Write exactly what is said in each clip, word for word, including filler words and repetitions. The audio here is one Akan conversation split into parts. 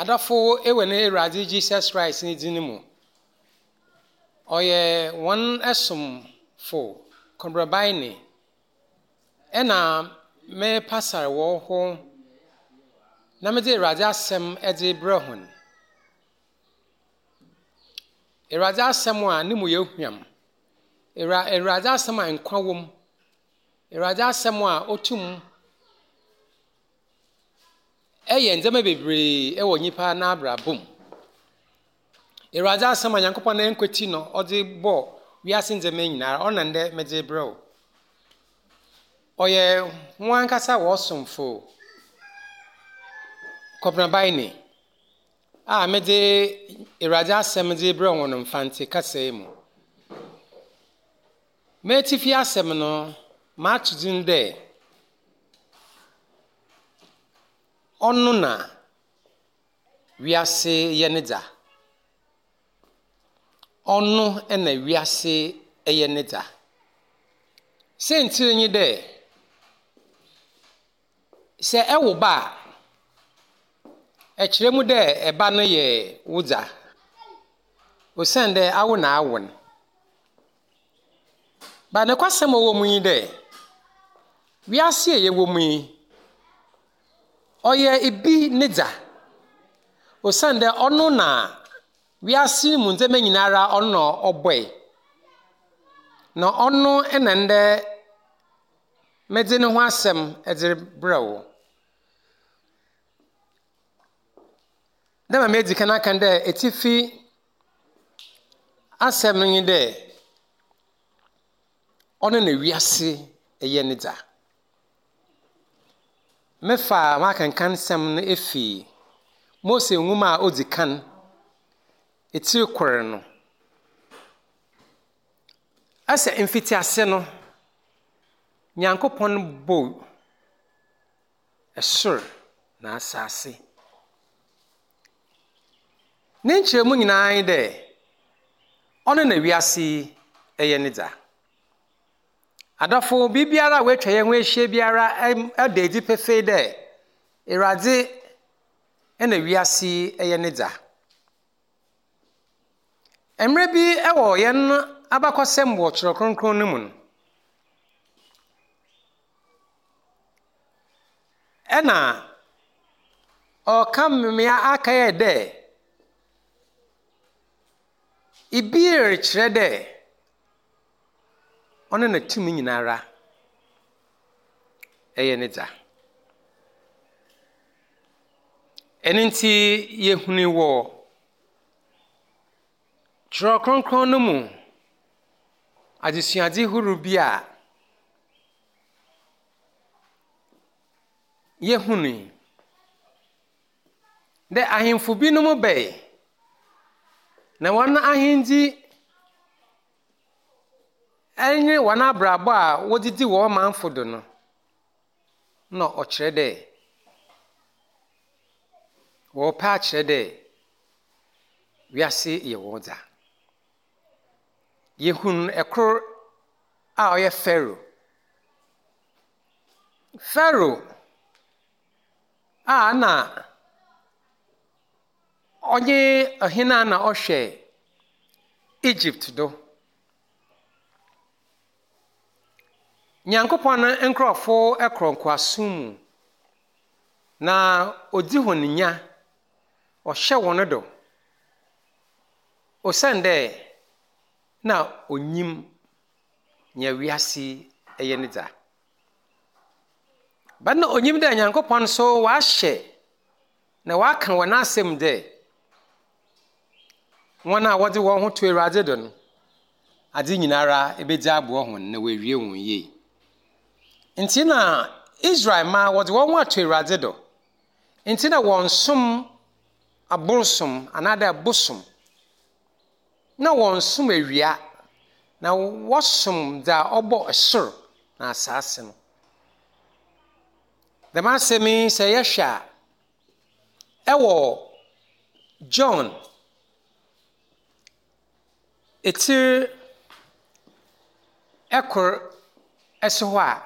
Adɔfo wɔ ne Awurade Jesus Christ ne dzin mu. Ɔyɛ hɔn somfo Kɔbrɛbaene ɛna merepasar wɔ hɔ na medze Awurade asɛm dze brɛ hɔn. Awurade asɛm a ne mu yɛ hwam. Awurade asɛm a nkwa wɔ mu. Awurade asɛm a otum ɛyɛ ndzɛmba bebree wɔ nyimpa n'abrabɔ mu. Awurade asɛm a Nyankopɔn n'ankwati no ɔdze bɔɔ wiase ndzɛmba nyinaa ɔno na ndɛ medze brɛ wo. Ɔyɛ wɔn ankasa wɔn somfo Kɔbrɛbaene a medze Awurade asɛm dze brɛ wɔn Mfantse kasa yi mu. M'etsifi asɛm no, mato dzin dɛ ɔno na wiase yɛ ne dza. Ɔno na wiase yɛ ne dza. Sɛntsir nye dɛ, sɛ ɛwo ba a, ɛkyerɛ mu dɛ ɛba no yɛ wo dza. Osiandɛ awo na awo no. Ba nokwasɛm a ɔwɔ mu nye dɛ, wiase a yɛwɔ mu yi, ɔyɛ ibi ne dza. Osiandɛ ɔno na wiase mu ndzɛmba nyinara ɔno na ɔbɔe. Na ɔno na ndɛ medze ne ho asɛm dze rebrɛ wo. Dɛ ma medzi kan aka dɛ etifi asɛm no nye dɛ ɔno na wiase yɛ ne dza. Mefa m'akenkan nsɛm no efi Mose nwoma a odzi kan, etsir kor no. Ɛsɛ mfitiase no, Nyankopɔn bɔɔ ɛsor na asase. Ne nkyerɛmu nyinaa nye dɛ, ɔno na wiase yi yɛ ne dza. Adɔfo, biribiara a woatwa yɛn ho ahyia biara ɛda adi pefee dɛ Awurade na wiase yi yɛ ne dza. Mmerɛ bi wɔ yɛn abakɔsɛm wɔ Twerɛ Kronkron no mu no, ɛna ɔka mmea aka yɛ dɛ ibi rekyerɛ dɛ ɔno na tumi nyinara ɛyɛ ne dza. Ɛno nti yɛhunu wɔ Twerɛ Kronkron no mu adesuadze horow bi a yɛhunu dɛ ahemfo binom bae na wɔn ahendzi ɛne wɔn abrabɔ a wɔdze di wɔn manfo do no na ɔkyerɛ dɛ wɔrepɛ akyerɛ dɛ wiase yɛ wɔn dza. Yɛhunu ɛkor a ɔyɛ Pharaoh. Pharaoh a na ɔnye ɔhene a na ɔhwɛ Egypt do. Nyankopɔn no nkurɔfo kɔ nkoasom mu na odzi hɔn nya, ɔhyɛ hɔn do. Osiandɛ na onyim nea wiase yɛ ne dza. Ba na onyim dɛ Nyankopɔn nso wahyɛ na waka wɔ n'asɛm dɛ wɔn a wɔdze wɔn ho to Awurade do no, adze nyinara ebedzi aboa hɔn na wɔawie wɔn yie. Nti na Israel ma wɔdze wɔn ho ato Awurade do. Nti na wɔnsom aborsom anaadɛ bosom. Na wɔnsom awia. Na wɔsom dza ɔbɔ sor na asase no. Dɛm asɛm yi sɛ yɛhwɛ a, ɛwɔ John etsir ɛkor ɛso hɔ a,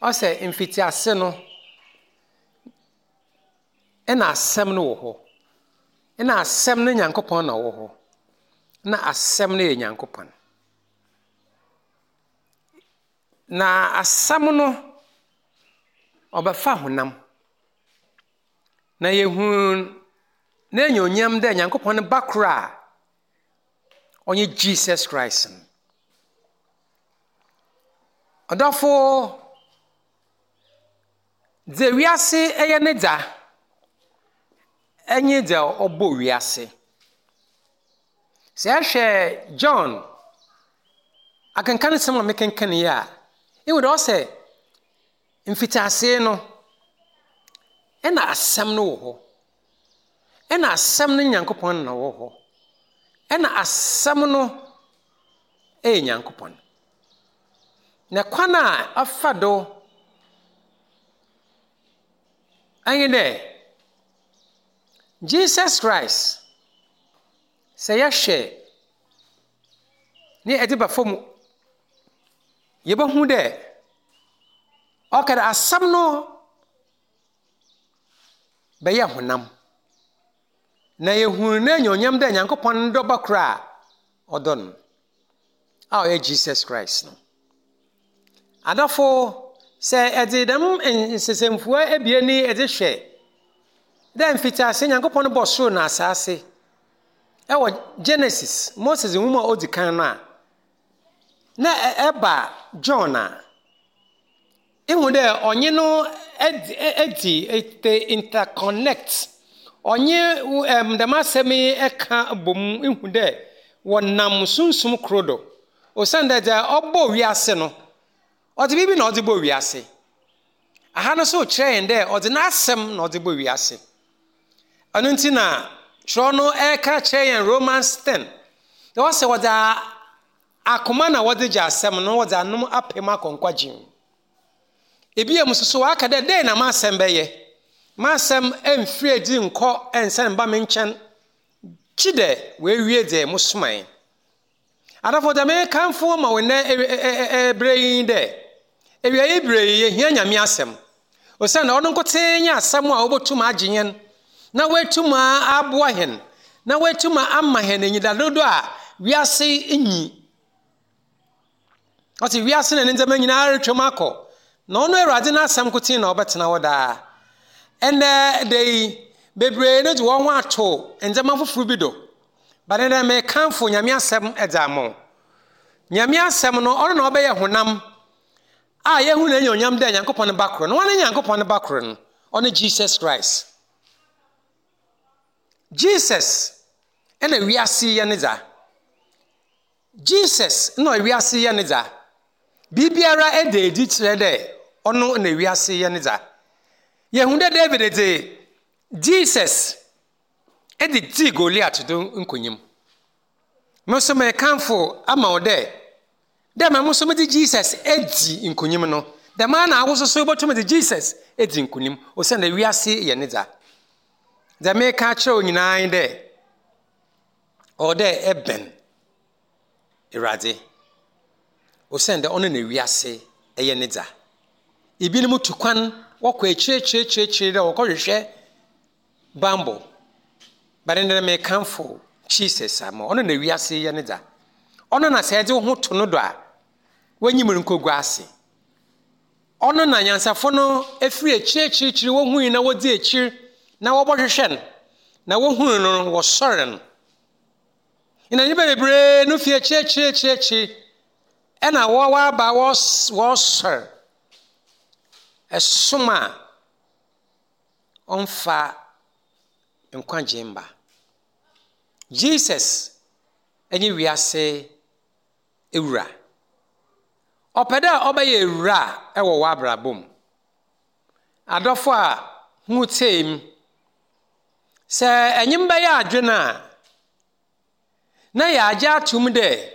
ɔsɛ mfitiase no, Ɛna asɛm no wɔ hɔ. Ɛna asɛm no Nyankopɔn na ɔwɔ hɔ. Na asɛm no yɛ Nyankopɔn. Na asɛm no ɔbɛfa honam. Na yɛhu n'enyonyam dɛ Nyankopɔn ba koro a ɔnye Jesus Christ no. Ɔdɔfo, dze wiase ɛyɛ ne dza ɛnye dza ɔbɔ wiase. Sɛ ɛhwɛ John akenkan nsɛm a mekenkan yi a, ehu dɛ ɔsɛ mfitiase no ɛna asɛm no wɔ hɔ. Ɛna asɛm no Nyankopɔn na wɔ hɔ. Ɛna asɛm no ɛyɛ Nyankopɔn. Na kwan a ɔfa do ɛnye dɛ Jesus Christ sɛ yɛhwɛ ne ɛde ba fam yɛbɛhu dɛ ɔka dɛ asɛm no bɛyɛ honam. Na yɛhu n'enyonyam dɛ Nyankopɔn dɔba koro a ɔdɔ no a ɔyɛ Jesus Christ no. Adɔfo, sɛ ɛde dɛm nsesɛmfua ebien yi ɛde hwɛ dɛ mfitiase Nyankopɔn bɔ soro na asase ɛwɔ Genesis, Moses nwoma a odi kan no a, na ɛba John a, ihu dɛ ɔnye no edi edi interconnect. Ɔnye ɛm dɛm asɛm yi ɛka bom ihu dɛ wɔnam sunsum koro do. Osiane dɛ dza ɔbɔ wiase no, ɔdze biribi na ɔdze bɔ wiase. Aha no nso kyerɛ yɛn dɛ ɔdze n'asɛm na ɔdze bɔ wiase. Ɛno nti na twerɛ no ɛreka kyerɛ yɛn Romans ten. Dɛ wɔsɛ wɔdze akoma na wɔdze gye asɛm no, wɔdze anom apem akɔ nkwagye mu. Ebia mu nso so waka dɛ dɛn na m'asɛm bɛyɛ? M'asɛm ɛmfiri adi nkɔ ɛnsan mba me nkyɛn. Kyi dɛ wɔawie dɛ mo somae. Adɔfo dɛ mekamfo ma wo nnɛ ɛberɛ yi dɛ awia yi berɛ yi yɛhia Nyame asɛm. Osiane ɔno nkotee nye asɛm a wɔbɛtum agye yɛn na wɔatum aboa hɛn na wɔatum ama hɛn enyidado a wiase nyi. Ɔte wiase na ne ndzɛmba nyinaa retwam akɔ. Na ɔno Awurade n'asɛm nkotsee na ɔbɛtena hɔ daa. Ɛnɛ da yi, bebree no de wɔn ho ato ndzɛmba foforɔ bi do. But ɛnɛ mekamfo Nyame asɛm ɛdze ama wo. Nyame asɛm no, ɔno na ɔbɛyɛ honam a yɛhu n'enyonyam dɛ Nyankopɔn ba koro no. Wɔn ne Nyankopɔn ba koro no, ɔne Jesus Christ. Jesus ɛna wiase yɛ ne dza. Jesus na wiase yɛ ne dza. Biribiara ɛda edi kyerɛ dɛ ɔno na wiase yɛ ne dza. Yɛhu dɛ David dze Jesus ɛde dii Goliath do nkonyim. Me nso mekamfo ama wo dɛ dɛ ma mo nso mede Jesus edi nkonyim no, dɛm ara na awo nso wobɛtumi de Jesus edi nkonim osiane wiase yɛ ne dza. Dza meka akyerɛ wo nyinaa nye dɛ ɔwɔ dɛ ɛbɛn Awurade osiane dɛ ɔno na wiase ɛyɛ ne dza. Ebinom tu kwan wɔkɔ akyire akyire akyire akyire dɛ wɔkɔhwehwɛ bambɔ. But ndɛ mekamfo Jesus ama ɔno na wiase yɛ ne dza. Ɔno na sɛ ɛdze wo ho to no do a, w'enyim nkogu ase. Ɔno na nyansafo no efiri akyire akyire akyire wohui na wodzi akyir na wɔbɔhwehwɛ no na wohunu no no wɔsɔre no. Na nnipa bebree no fi akyire akyire akyire akyire ɛna wɔwɔ aba wɔs wɔsɔre ɛsom a ɔmfa nkwagye mba. Jesus ɛne wiase ewura. Ɔpɛ dɛ ɔbɛyɛ ewura ɛwɔ w'abrabɔ mu. Adɔfo a ho tee mu, sɛ ɛnyim bɛyɛ adwene a, na yɛagye atom dɛ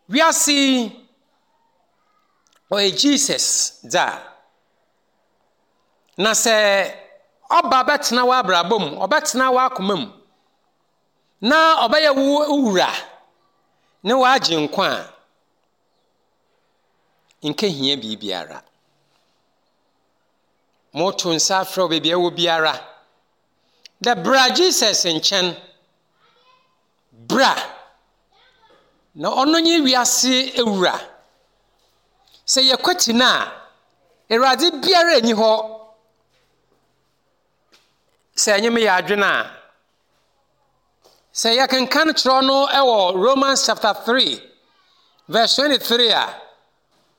wiase yi ɔyɛ Jesus dza. Na sɛ ɔba bɛtena w'abrabɔ mu, ɔbɛtena w'akoma mu, na ɔbɛyɛ wo wura ne w'agye nkwa a, nkehia biribiara. Moto nsa afrɛ wo baabi a ɛwɔ biara. Dɛ bra Jesus nkyɛn. Bra. Na ɔno nye wiase ewura. Sɛ yɛkwati no a, Awurade biara nni hɔ. Sɛ ɛnyɛ me yɛ adwene a, sɛ yɛkenkan kyerɛ no wɔ Romans chapter three verse twenty-three a,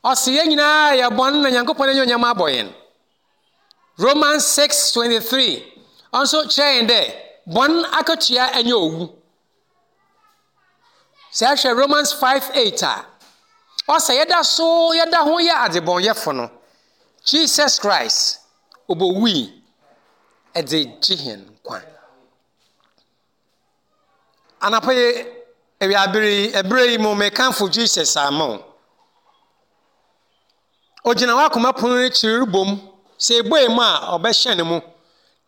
ɔse yɛn nyinaa yɛ bɔne na Nyankopɔn anuonyam abɔ yɛn. Romans six twenty-three ɔnso kyerɛ yɛn dɛ bɔne akatua ɛnyɛ owu. Sɛ ɛhwɛ Romans five eight a, ɔsɛ yɛda so yɛda ho yɛ adebɔnyɛfo no, Jesus Christ obowui ɛde gye yɛn nkwa. Anapa yi, awiabere yi, ɛberɛ yi mu mekamfo Jesus ama wo. Ogyina w'akoma pono no akyiri rebom. Sɛ ebue mu a, ɔbɛhyɛn ne mu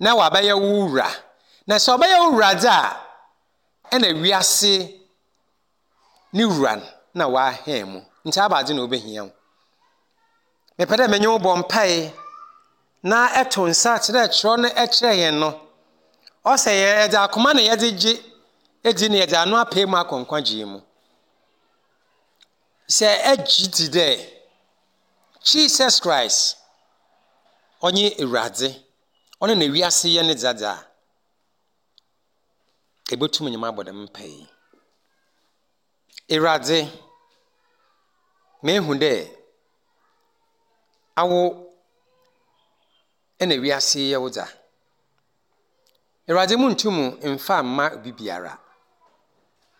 na wabɛyɛ wo wura. Na sɛ ɔbɛyɛ wo wura dze a, ɛna wiase ne wura na wahɛn mu. Nti abadze na obehia wo. Mepɛ dɛ menye wo bɔ mpae na ɛto nsa kyerɛ kyerɛ no ɛkyerɛ yɛn no. Ɔsɛ yɛdze akoma na yɛdze gye edi na yɛdze ano apɛ mu akɔ nkwagye mu. Sɛ ɛgye di dɛ Jesus Christ ɔnye Ewuradze, ɔno na wiase yɛ ne dzadza a, ebotum nye me abɔ dɛm mpae yi. Ewuradze, mehu dɛ awo ɛna wiase yɛ wo dza. Ewuradze, muntum mfa mma obi biara.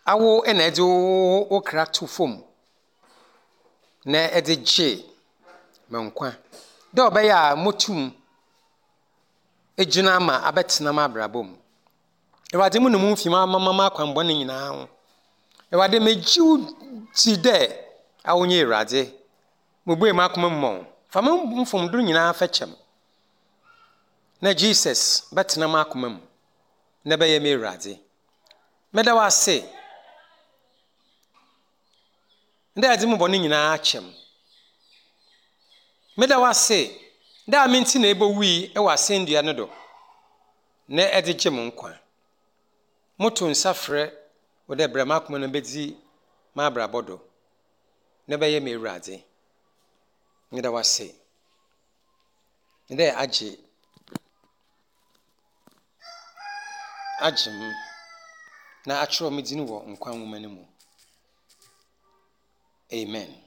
Awo ɛna ɛdze wo wo kra to fam na ɛdze gye me nkwa. Dɛ ɔbɛyɛ a motum egyina ama abɛtena m'abrabɔ mu. Ewuradze, mu ne mu mfi m'amama m'akwanbɔne nyinaa ho. Ewuradze, megye wo di dɛ awo nye Ewuradze. Mubue m'akoma mu ma wo. Fa me mfomdo nyinaa fɛkyɛ me. Na Jesus bɛtena m'akoma mu na bɛyɛ me Ewuradze. Meda wo ase dɛ ɛdze me bɔne nyinaa akyɛ me. Meda wo ase dɛ a me nti na ebowui wɔ asɛndua no do na ɛdze gye me nkwa. Moto nsa frɛ wo dɛ brɛ m'akoma no bedzi m'abrabɔ do na bɛyɛ me Ewuradze. Meda wo ase dɛ agye agye me na akyerɛw me dzin wɔ nkwa nwoma no mu. Amen.